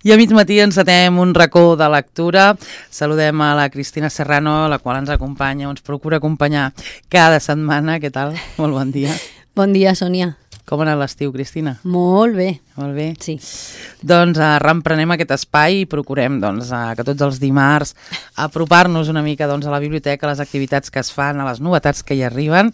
I a mig matí encetem un racó de lectura. Saludem a la Cristina Serrano, la qual ens acompanya, ens procura acompanyar cada setmana. Què tal? Molt bon dia. Bon dia, Sònia. Com ha anat l'estiu, Cristina? Molt bé. Molt bé? Sí. Doncs reemprenem aquest espai i procurem que tots els dimarts apropar-nos una mica a la biblioteca, a les activitats que es fan, a les novetats que hi arriben.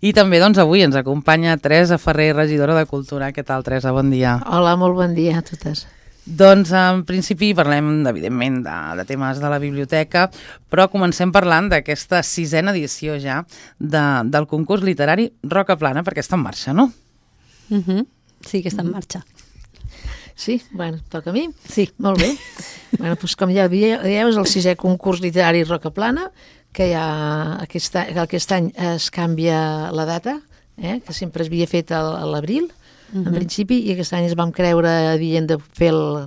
I també avui ens acompanya Teresa Ferrer, regidora de Cultura. Què tal, Teresa? Bon dia. Hola, molt bon dia a totes. Doncs en principi parlem evidentment de temes de la biblioteca, però comencem parlant d'aquesta 6ª edició ja del concurs literari Roca Plana, perquè està en marxa, no? Sí que està en marxa. Sí? Bueno, toca a mi? Sí. Molt bé. Bueno, doncs com ja dieu, és el 6è concurs literari Roca Plana, que aquest any es canvia la data, que sempre es havia fet a l'abril, en principi, i aquest any es vam creure dient de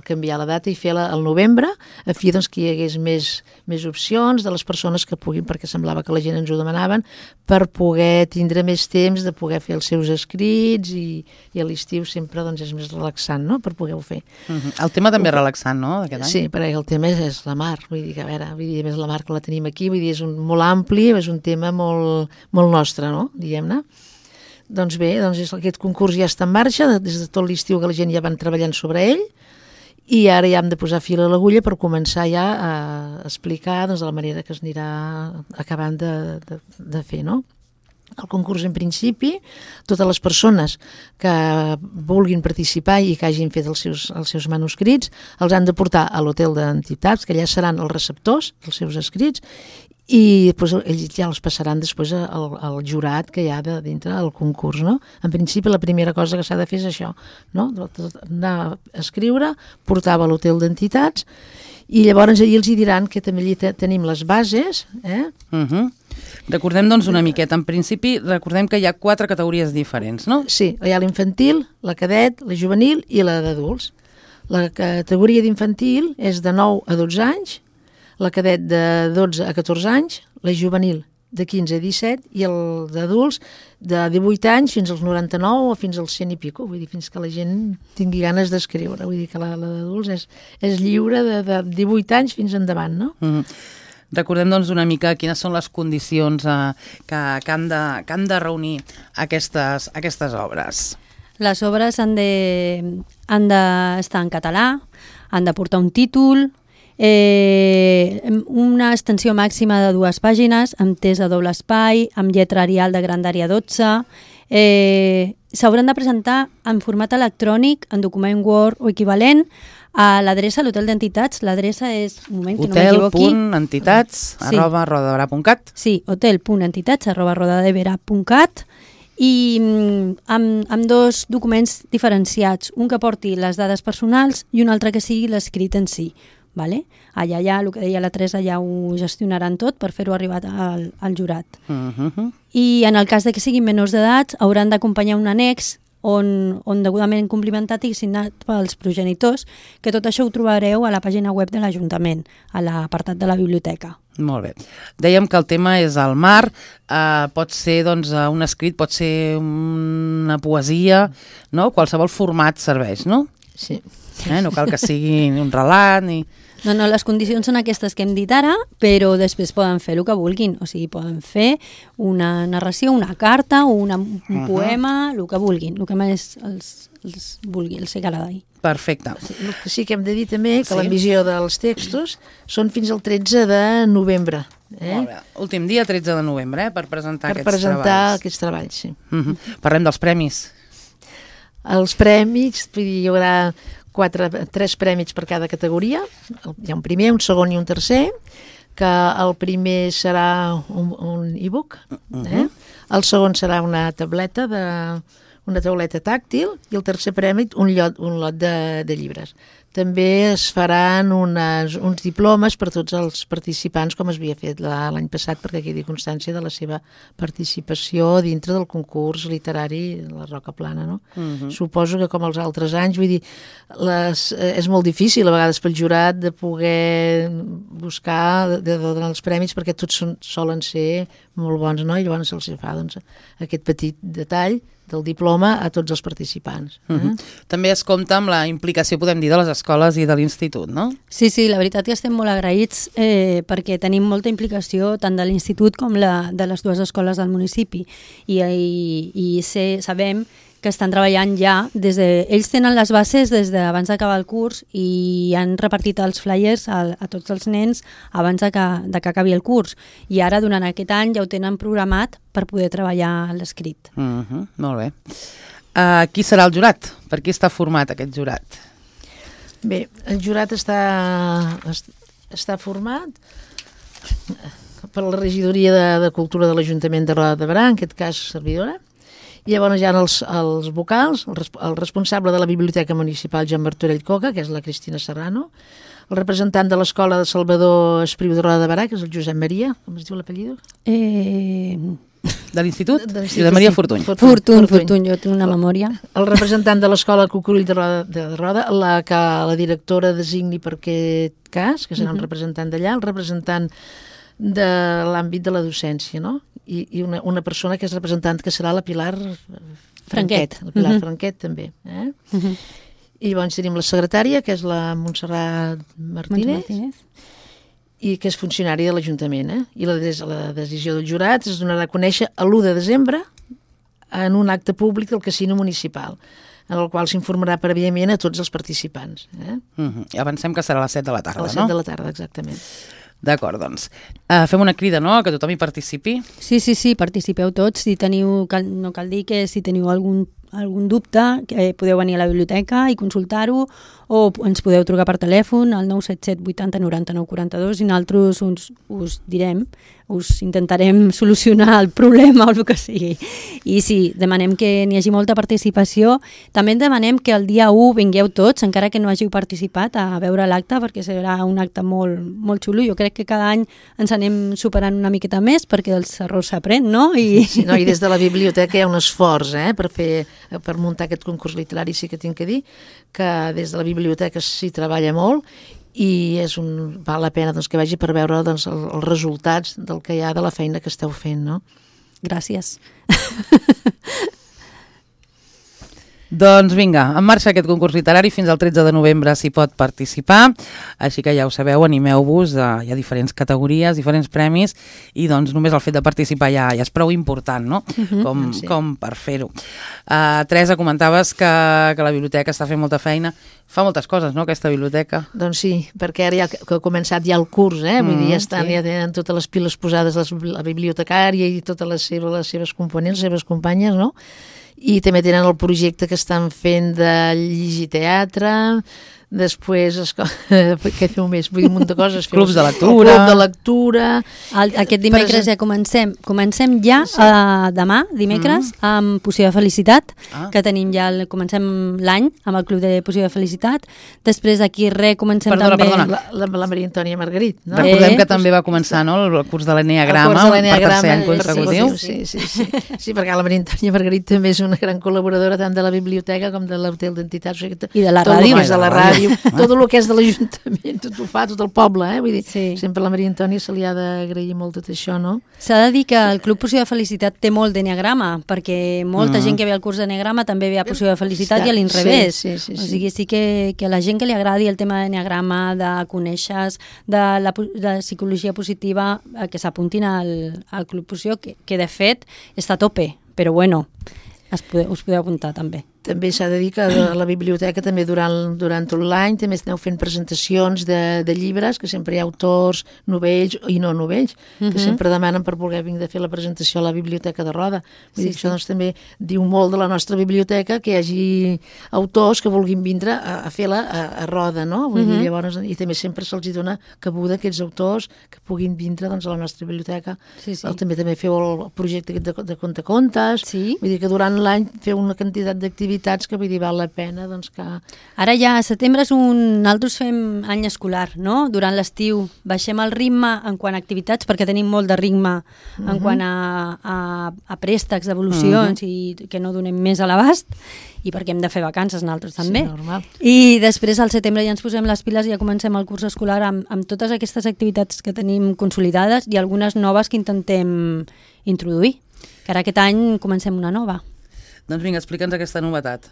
canviar la data i fer-la al novembre, a fi que hi hagués més opcions de les persones que puguin, perquè semblava que la gent ens ho demanaven, per poder tindre més temps de poder fer els seus escrits i a l'estiu sempre és més relaxant, no?, per poder-ho fer. El tema també és relaxant, no?, d'aquest any? Sí, perquè el tema és la mar, vull dir que a més la mar que la tenim aquí, vull dir, és molt ampli, és un tema molt nostre, no?, diguem-ne. Doncs bé, aquest concurs ja està en marxa, des de tot l'estiu que la gent ja van treballant sobre ell, i ara ja hem de posar fil a l'agulla per començar ja a explicar de la manera que es anirà acabant de fer, no? El concurs, en principi, totes les persones que vulguin participar i que hagin fet els seus manuscrits els han de portar a l'hotel d'entitats, que allà seran els receptors dels seus escrits, i després ells ja els passaran després al jurat que hi ha dintre del concurs, no? En principi, la primera cosa que s'ha de fer és això, no? Anar a escriure, portar-ho a l'hotel d'entitats, i llavors allà els diran que també allà tenim les bases, Recordem, una miqueta. En principi, recordem que hi ha 4 categories diferents, no? Sí, hi ha l'infantil, la cadet, la juvenil i la d'adults. La categoria d'infantil és de 9 a 12 anys, la cadet de 12 a 14 anys, la juvenil de 15 a 17 i el d'adults de 18 anys fins als 99 o fins als 100 i pico, vull dir, fins que la gent tingui ganes d'escriure. Vull dir que la d'adults és lliure de 18 anys fins endavant, no? Recordem, una mica quines són les condicions que han de reunir aquestes obres. Les obres han d'estar en català, han de portar un títol, una extensió màxima de 2 pàgines, amb test a doble espai, amb lletra Arial de grandària 12, s'hauran de presentar en format electrònic, en document Word o equivalent, a l'adreça a l'hotel d'entitats. L'adreça és, un moment, que no m'equivoqui, hotel.entitats@rodadevera.cat. Sí, hotel.entitats@rodadevera.cat, i amb 2 documents diferenciats, un que porti les dades personals i un altre que sigui l'escrit en si. Vale? Allà ja, el que deia la Teresa, ja ho gestionaran tot per fer-ho arribar al jurat. I en el cas de que siguin menors d'edat, hauran d'acompanyar un annex on degudament complimentat i signat pels progenitors, que tot això ho trobareu a la pàgina web de l'Ajuntament, a l'apartat de la biblioteca. Molt bé. Dèiem que el tema és el mar, pot ser un escrit, pot ser una poesia, no? Qualsevol format serveix, no? Sí. No cal que sigui un relat ni... No, les condicions són aquestes que hem dit ara, però després poden fer el que vulguin. O sigui, poden fer una narració, una carta, un poema, el que vulguin, el que més els vulgui, els agradi. Perfecte. El que sí que hem de dir també que l'emissió dels textos són fins al 13 de novembre. Molt bé. Últim dia, 13 de novembre, per presentar aquests treballs. Per presentar aquests treballs, sí. Parlem dels premis. Els premis, hi haurà 3 premis per cada categoria. Hi ha un primer, un segon i un tercer, que el primer serà un e-book, el segon serà una tauleta tàctil i el tercer premi un lot de llibres. També es faran uns diplomes per tots els participants, com es havia fet l'any passat, perquè quedi constància de la seva participació dintre del concurs literari de la Roca Plana, no? Suposo que com els altres anys, vull dir, és molt difícil a vegades pel jurat de poder buscar, de donar els premis, perquè tots solen ser molt bons, no? I llavors se'ls fa doncs, aquest petit detall del diploma a tots els participants. També es compta amb la implicació, podem dir, de les escoles i de l'institut, no? Sí, la veritat que estem molt agraïts perquè tenim molta implicació tant de l'institut com de les dues escoles del municipi i sabem que estan treballant ja ells tenen les bases des d'abans d'acabar el curs i han repartit els flyers a tots els nens abans de que acabi el curs i ara durant aquest any ja ho tenen programat per poder treballar l'escrit. Molt bé. Qui serà el jurat? Per qui està format aquest jurat? Bé, el jurat està format per la regidoria de Cultura de l'Ajuntament de Roda de Berà, en aquest cas servidora. I llavors hi ha els vocals, el responsable de la Biblioteca Municipal, Joan Martorell Coca, que és la Cristina Serrano, el representant de l'Escola de Salvador Espriu de Roda de Berà, que és el Josep Maria, com es diu l'apellido? De l'Institut? Josep Maria Fortuny. Fortuny, jo tinc una memòria. El representant de l'Escola Cucurull de Roda, que la directora designi per aquest cas, que serà un representant d'allà, el representant de l'àmbit de la docència, no? I una persona que és representant, que serà la Pilar Franquet. La Pilar Franquet, també. I llavors tenim la secretària, que és la Montserrat Martínez, i que és funcionària de l'Ajuntament. I la decisió del jurat es donarà a conèixer l'1 de desembre en un acte públic del Casino Municipal, en el qual s'informarà prèviament a tots els participants. Avancem que serà a les 7 de la tarda, no? A les 7 de la tarda, exactament. D'acord, doncs. Fem una crida, no?, que tothom hi participi. Sí, participeu tots. Si teniu, no cal dir que si teniu algun dubte, podeu venir a la biblioteca i consultar-ho, o ens podeu trucar per telèfon al 977 80 99 42 i nosaltres us direm, us intentarem solucionar el problema o el que sigui. I sí, demanem que n'hi hagi molta participació. També demanem que el dia 1 vingueu tots, encara que no hàgiu participat, a veure l'acte, perquè serà un acte molt, molt xulo. Jo crec que cada any ens anem superant una miqueta més, perquè dels errors s'aprèn, no? I des de la biblioteca hi ha un esforç per muntar aquest concurs literari. Sí que tinc que dir que des de la biblioteca s'hi treballa molt i val la pena que vagi per veure els resultats del que hi ha de la feina que esteu fent, no? Gràcies. Doncs vinga, en marxa aquest concurs literari, fins al 13 de novembre s'hi pot participar, així que ja ho sabeu, animeu-vos, hi ha diferents categories, diferents premis, i doncs només el fet de participar ja és prou important, no? Com per fer-ho. Teresa, comentaves que la biblioteca està fent molta feina, fa moltes coses, no?, aquesta biblioteca. Doncs sí, perquè ara que ha començat ja el curs, vull dir, ja tenen totes les piles posades la bibliotecària i totes les seves components, les seves companyes, no?, i també tenen el projecte que estan fent de llegir teatre, després, què feu més? Vull dir, un munt de coses. Clubs de lectura. Club de lectura. Aquest dimecres ja comencem ja demà, dimecres, amb Poció de Felicitat, que tenim ja, comencem l'any amb el Club de Poció de Felicitat. Després d'aquí comencem també... Perdona. La Maria Antònia Margarit, no? Recordem que també va començar, no?, el curs de l'Enneagrama, per tercer any consecutiu. Sí, perquè la Maria Antònia Margarit també és una gran col·laboradora tant de la biblioteca com de l'hotel d'entitats. I de la ràdio. Tot el que és de l'Ajuntament, tot ho fa, tot el poble, vull dir, sempre a la Maria Antònia se li ha d'agrair molt tot això, no? S'ha de dir que el Club Poció de Felicitat té molt d'enneagrama, perquè molta gent que ve al curs d'enneagrama també ve a Poció de Felicitat i a l'inrevés. O sigui, sí que a la gent que li agradi el tema d'enneagrama, de conèixer, de psicologia positiva, que s'apuntin al Club Poció, que de fet està a tope, però bueno, us podeu apuntar també. També s'ha de dir que a la biblioteca també durant tot l'any també esteu fent presentacions de llibres, que sempre hi ha autors novells i no novells, que sempre demanen per voler venir a fer la presentació a la biblioteca de Roda. Vull dir, això també diu molt de la nostra biblioteca, que hi hagi autors que vulguin vindre a fer-la a Roda, no? Vull dir, llavors, i també sempre se'ls dona cabuda a aquests autors que puguin vindre a la nostra biblioteca. També feu el projecte de contacontes, vull dir que durant l'any feu una quantitat d'activitats activitats que vull dir val la pena, doncs que... Ara ja, setembre és nosaltres fem any escolar, no? Durant l'estiu baixem el ritme en quant a activitats, perquè tenim molt de ritme en quant a préstecs, devolucions i que no donem més a l'abast, i perquè hem de fer vacances nosaltres també. Sí, normal. I després al setembre ja ens posem les piles i ja comencem el curs escolar amb totes aquestes activitats que tenim consolidades i algunes noves que intentem introduir. Que ara aquest any comencem una nova. Doncs vinga, explica'ns aquesta novetat.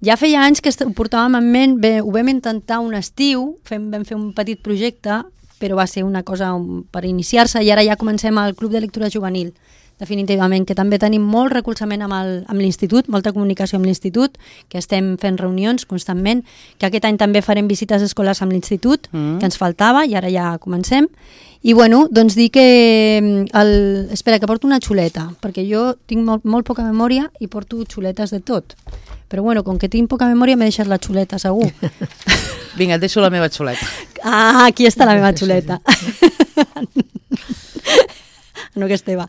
Ja feia anys que ho portàvem en ment, ho vam intentar un estiu, vam fer un petit projecte, però va ser una cosa per iniciar-se i ara ja comencem el Club de Lectura Juvenil, definitivament, que també tenim molt recolzament amb l'institut, molta comunicació amb l'institut, que estem fent reunions constantment, que aquest any també farem visites escolars amb l'institut, que ens faltava i ara ja comencem. I bueno, doncs dir que... Espera, que porto una xuleta, perquè jo tinc molt poca memòria i porto xuletes de tot. Però bueno, com que tinc poca memòria m'he deixat la xuleta, segur. Vinga, et deixo la meva xuleta. Ah, aquí està la meva xuleta. No, que és teva.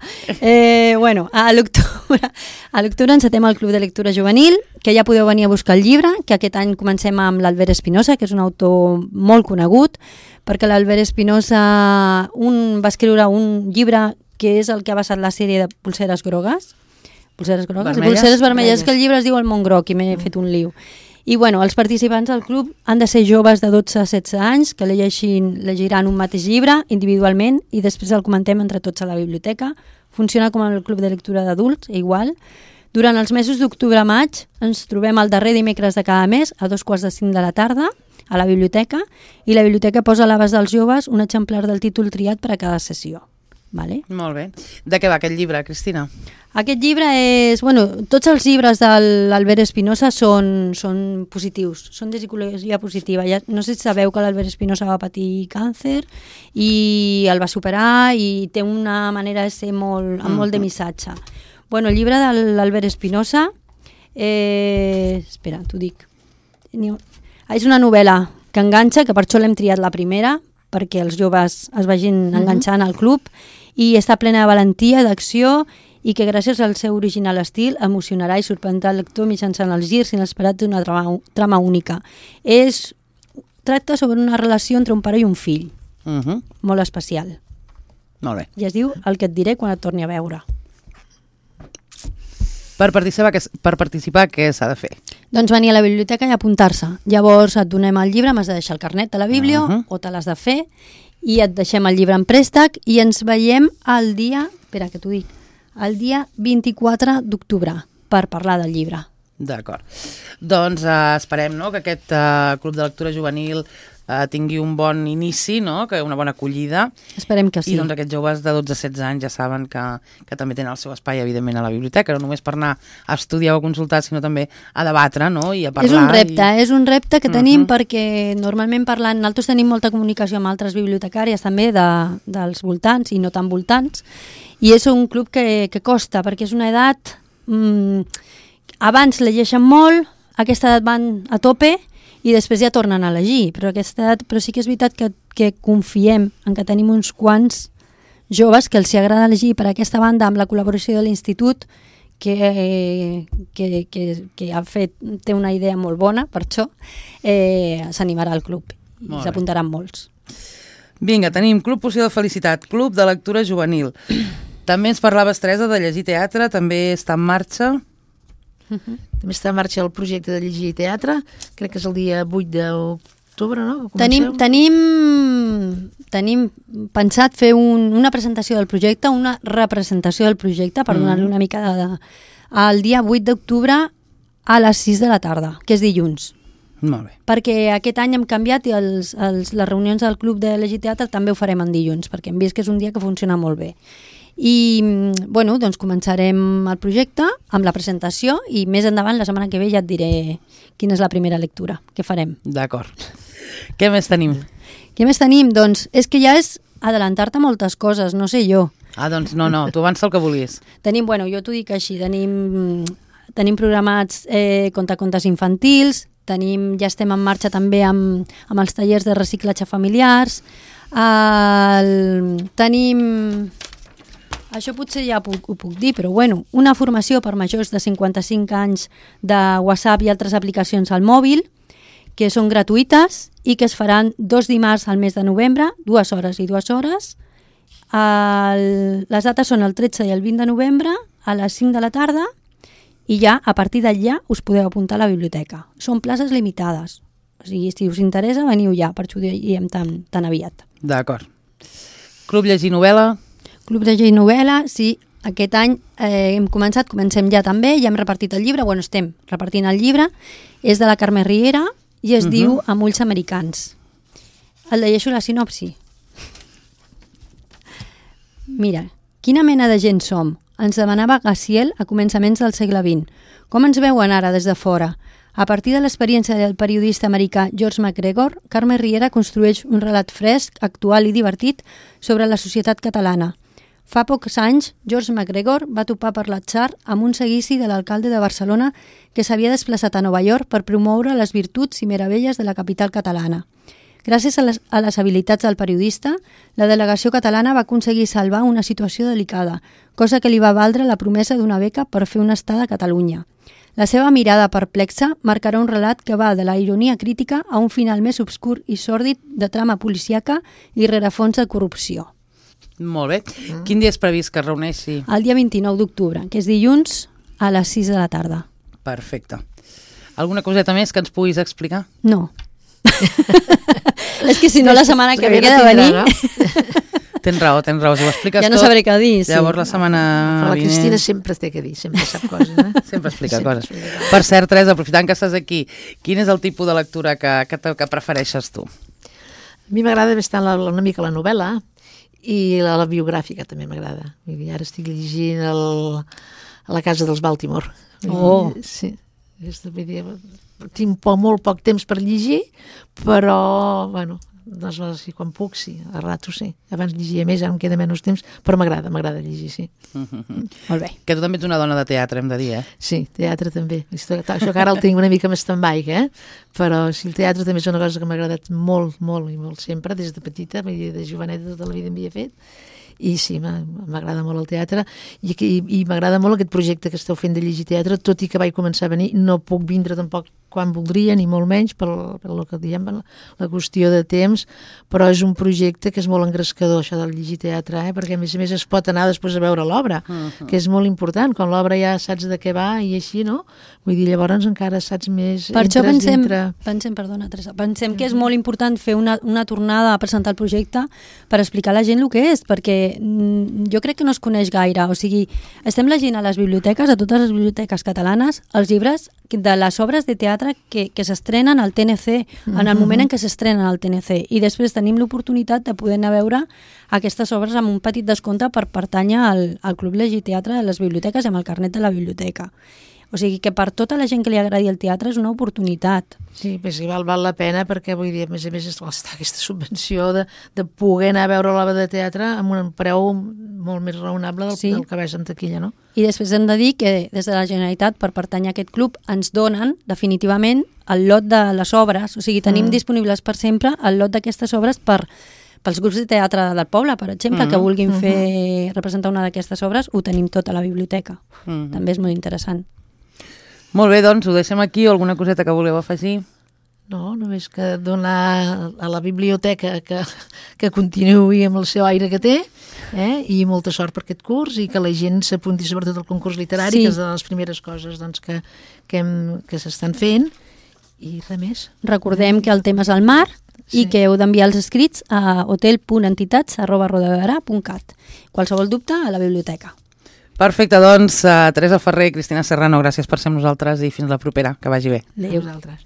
Bueno, a l'octubre encetem el Club de Lectura Juvenil, que ja podeu venir a buscar el llibre, que aquest any comencem amb l'Albert Espinosa, que és un autor molt conegut, perquè l'Albert Espinosa va escriure un llibre que és el que ha basat la sèrie de Polseres grogues. Polseres grogues? Polseres vermelles, que el llibre es diu El món groc i m'he fet un liu. I bueno, els participants del club han de ser joves de 12 a 16 anys que llegiran un mateix llibre individualment i després el comentem entre tots a la biblioteca. Funciona com el club de lectura d'adults, igual. Durant els mesos d'octubre a maig ens trobem el darrer dimecres de cada mes a 2:45 de la tarda a la biblioteca i la biblioteca posa a l'abast dels joves un exemplar del títol triat per a cada sessió. Vale? Molt bé. De què va aquest llibre, Cristina? Aquest llibre és... Bueno, tots els llibres de l'Albert Espinosa són positius, són de psicologia positiva. Ja, no sé si sabeu que l'Albert Espinosa va patir càncer i el va superar i té una manera de ser amb molt de missatge. Bueno, el llibre de l'Albert Espinosa... espera, t'ho dic. És una novel·la que enganxa, que per això l'hem triat la primera, perquè els joves es vagin enganxant al club, i està plena de valentia, d'acció, i que gràcies al seu original estil emocionarà i sorprendrà el lector mitjançant els girs inesperats d'una trama única. Tracta sobre una relació entre un pare i un fill, molt especial. Molt bé. I es diu El que et diré quan et torni a veure. Per participar, què s'ha de fer? Doncs venir a la biblioteca i apuntar-se. Llavors et donem el llibre, m'has de deixar el carnet de la bíblio, o te l'has de fer, i et deixem el llibre en préstec i ens veiem el dia, espera que t'ho dic, el dia 24 d'octubre per parlar del llibre. D'acord. Doncs esperem, no?, que aquest Club de Lectura Juvenil tingui un bon inici, no?, que una bona acollida. Esperem que sí. I doncs aquests joves de 12 a 16 anys ja saben que també tenen el seu espai, evidentment, a la biblioteca, no només per anar a estudiar o a consultar, sinó també a debatre, no?, i a parlar. És un repte que tenim perquè normalment parlant, nosaltres tenim molta comunicació amb altres bibliotecàries també dels voltants i no tan voltants, i és un club que costa, perquè és una edat... abans llegeixen molt, a aquesta edat van a tope i després ja tornen a llegir, però sí que és veritat que confiem en que tenim uns quants joves que els agrada llegir. Per aquesta banda, amb la col·laboració de l'Institut, que té una idea molt bona, per això s'animarà al club i s'apuntaran molts. Vinga, tenim Club Poció de Felicitat, Club de Lectura Juvenil. També ens parlaves, Teresa, de llegir teatre, també està en marxa. També està en marxa el projecte de llegir teatre, crec que és el dia 8 d'octubre, no? Tenim pensat fer una presentació del projecte, una representació del projecte, per donar-li una mica el dia 8 d'octubre a les 6 de la tarda, que és dilluns. Molt bé. Perquè aquest any hem canviat i les reunions del Club de Llegir Teatre també ho farem en dilluns, perquè hem vist que és un dia que funciona molt bé. I, bueno, doncs començarem el projecte amb la presentació i més endavant, la setmana que ve, ja et diré quina és la primera lectura que farem. D'acord. Què més tenim? Què més tenim? Doncs és que ja és adelantar-te moltes coses, no sé jo. Doncs no, tu avança el que volies. Tenim, jo t'ho dic així, tenim programats contacontes infantils, ja estem en marxa també amb els tallers de reciclatge familiars, tenim... Això potser ja ho puc dir, però bueno, una formació per majors de 55 anys de WhatsApp i altres aplicacions al mòbil, que són gratuïtes i que es faran 2 dimarts al mes de novembre, 2 hores i 2 hores. Les dates són el 13 i el 20 de novembre a les 5 de la tarda i ja, a partir d'allà, us podeu apuntar a la biblioteca. Són places limitades. O sigui, si us interessa, veniu ja, per això ho diem tan aviat. D'acord. Club Llegir Novel·la? Club Llegir Novel·la, sí. Aquest any comencem ja també, ja hem repartit el llibre, bueno, estem repartint el llibre, és de la Carme Riera i es diu Amb ulls americans. El llegeixo la sinopsi. Mira, quina mena de gent som? Ens demanava Gassiel a començaments del segle XX. Com ens veuen ara des de fora? A partir de l'experiència del periodista americà George McGregor, Carme Riera construeix un relat fresc, actual i divertit sobre la societat catalana. Fa pocs anys, George McGregor va topar per l'atzar amb un seguici de l'alcalde de Barcelona que s'havia desplaçat a Nova York per promoure les virtuts i meravelles de la capital catalana. Gràcies a les habilitats del periodista, la delegació catalana va aconseguir salvar una situació delicada, cosa que li va valdre la promesa d'una beca per fer una estada a Catalunya. La seva mirada perplexa marcarà un relat que va de la ironia crítica a un final més obscur i sòrdid de trama policíaca i rerefons de corrupció. Molt bé. Quin dia és previst que es reuneixi? El dia 29 d'octubre, que és dilluns a les 6 de la tarda. Perfecte. Alguna coseta més que ens puguis explicar? No. És que si no la setmana que ve queda de venir... Tens raó, si ho expliques ja no tot, sabré què dir. Sí. Llavors la setmana Però la vinent... Cristina sempre té que dir, sempre sap coses. Sempre explica coses. Per cert, Teresa, aprofitant que estàs aquí, quin és el tipus de lectura que prefereixes tu? A mi m'agrada bastant una mica la novel·la i la biogràfica també m'agrada. Ara estic llegint a la casa dels Baltimore. Oh! Sí. Tinc molt poc temps per llegir, però, bueno, doncs, quan puc, sí, a rato sí. Abans llegia més, ara em queda menys temps, però m'agrada llegir, sí. Molt bé. Que tu també ets una dona de teatre, hem de dir, eh? Sí, teatre també. Això que ara el tinc una mica més stand-by, però sí, el teatre també és una cosa que m'ha agradat molt, molt i molt sempre, des de petita, de joveneta tota la vida m'havia fet, i sí, m'agrada molt el teatre i m'agrada molt aquest projecte que esteu fent de llegir teatre, tot i que vaig començar a venir, no puc vindre tampoc quan voldria, ni molt menys, per el que diem, la qüestió de temps, però és un projecte que és molt engrescador, això del llegir teatre, perquè a més es pot anar després a veure l'obra, que és molt important, quan l'obra ja saps de què va i així, no? Vull dir, llavors encara saps més... Per això pensem que és molt important fer una tornada a presentar el projecte per explicar a la gent el que és, perquè jo crec que no es coneix gaire, o sigui, estem llegint a les biblioteques, a totes les biblioteques catalanes, els llibres de les obres de teatre que s'estrenen al TNC, en el moment en què s'estrenen al TNC, i després tenim l'oportunitat de poder anar a veure aquestes obres amb un petit descompte per pertànyer al Club Llegir Teatre de les biblioteques i amb el carnet de la biblioteca. O sigui que per tota la gent que li agradi el teatre és una oportunitat. Sí, però sí, val la pena perquè, vull dir, a més està aquesta subvenció de poder anar a veure l'obra de teatre amb un preu molt més raonable del que veus en taquilla, no? I després hem de dir que des de la Generalitat, per pertànyer a aquest club, ens donen definitivament el lot de les obres, o sigui, tenim disponibles per sempre el lot d'aquestes obres pels grups de teatre del poble, per exemple, que vulguin representar una d'aquestes obres, ho tenim tot a la biblioteca. També és molt interessant. Molt bé, doncs ho deixem aquí, o alguna coseta que voleu afegir? No, només que donar a la biblioteca que continuï amb el seu aire que té, i molta sort per aquest curs, i que la gent s'apunti sobretot al concurs literari, que és de les primeres coses que s'estan fent, i res més. Recordem que el tema és el mar, i que heu d'enviar els escrits a hotel.entitats@rodaberà.cat. Qualsevol dubte, a la biblioteca. Perfecte, doncs, Teresa Ferrer i Cristina Serrano, gràcies per ser amb nosaltres i fins la propera, que vagi bé. Adéu. A vosaltres.